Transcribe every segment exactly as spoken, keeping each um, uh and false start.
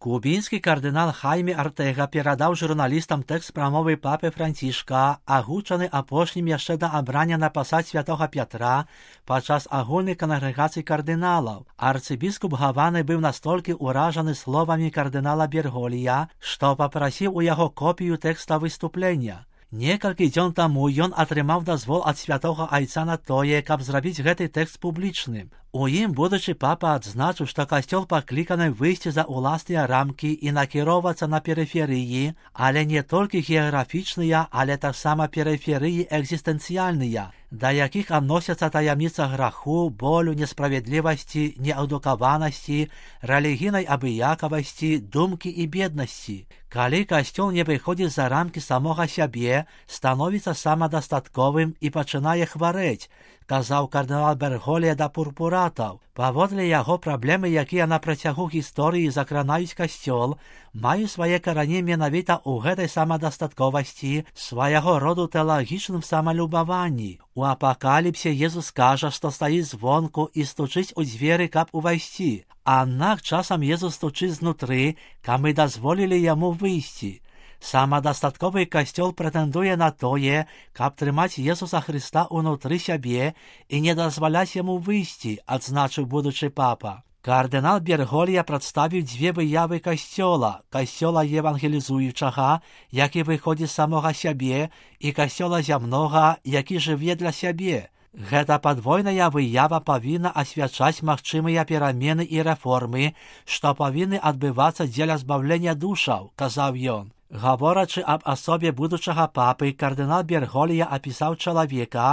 Кубінскі кардынал Хайме Артэга перадаў журналістам тэкст прамовы папы Францішка, агучаны апошнім яшчэ да абрання на пасад святога Пятра падчас агульнай кангрэгацыі кардыналаў. Арцыбіскуп Гаваны быў настолькі ўражаны словамі кардынала Берголія, што папрасіў у яго копію тэкста выступлення. Некалькі дзён таму ён атрымаў дазвол ад святога айца на тое, каб зрабіць гэты тэкст публічным. У ім будучы папа адзначыў, што касцёл пакліканы выйсці за ўласныя рамкі і накіроўвацца на перыферыі, але не толькі геаграфічныя, але таксама перыферыі экзістэнцыяльныя, да якіх адносяцца таямніца граху, болю, несправядлівасці, неадукаванасці, рэлігійнай абыякавасці, думкі і беднасці. Калі касцёл не выходзіць за рамкі самога сябе, становіцца самадастатковым і пачынае хварэць, казаў кардынал Берголія да пурпуратаў. Паводле яго праблемы, якія на працягу гісторыі закранаюць касцёл, маюць свае карані менавіта ў гэтай самадастатковасці, свайго роду тэалагічным самалюбаванні. У апакаліпсе Езус кажа, што стаіць звонку і стучыць у дзверы, каб увайсці. Аднак часам Езус стучыць знутры, каб мы дазволілі яму выйсці. Самадастатковы касцёл прэтэндуе на тое, каб трымаць Езуса Хрыста ўнутры сябе і не дазваляць яму выйсці, адзначыў будучы папа. Кардынал Берголія прадставіў дзве выявы касцёла, касцёла евангелізуючага, які выходзіць з самога сябе, і касцёла зямнога, які жыве для сябе. Гэта падвойная выява павінна асвячаць магчымыя перамены і рэформы, што павінны адбывацца дзеля збаўлення душаў, казаў ён. Гаворачы аб асобе будучага папы, кардынал Берголія апісаў чалавека,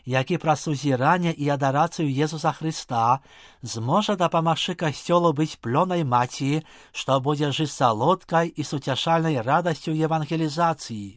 які праз сузіранне і адарацыю Езуса Хрыста зможа дапамагчы касцёлу быць плёнай маці, што будзе жыць салодкай і суцяшальнай радасцю евангелізацыі.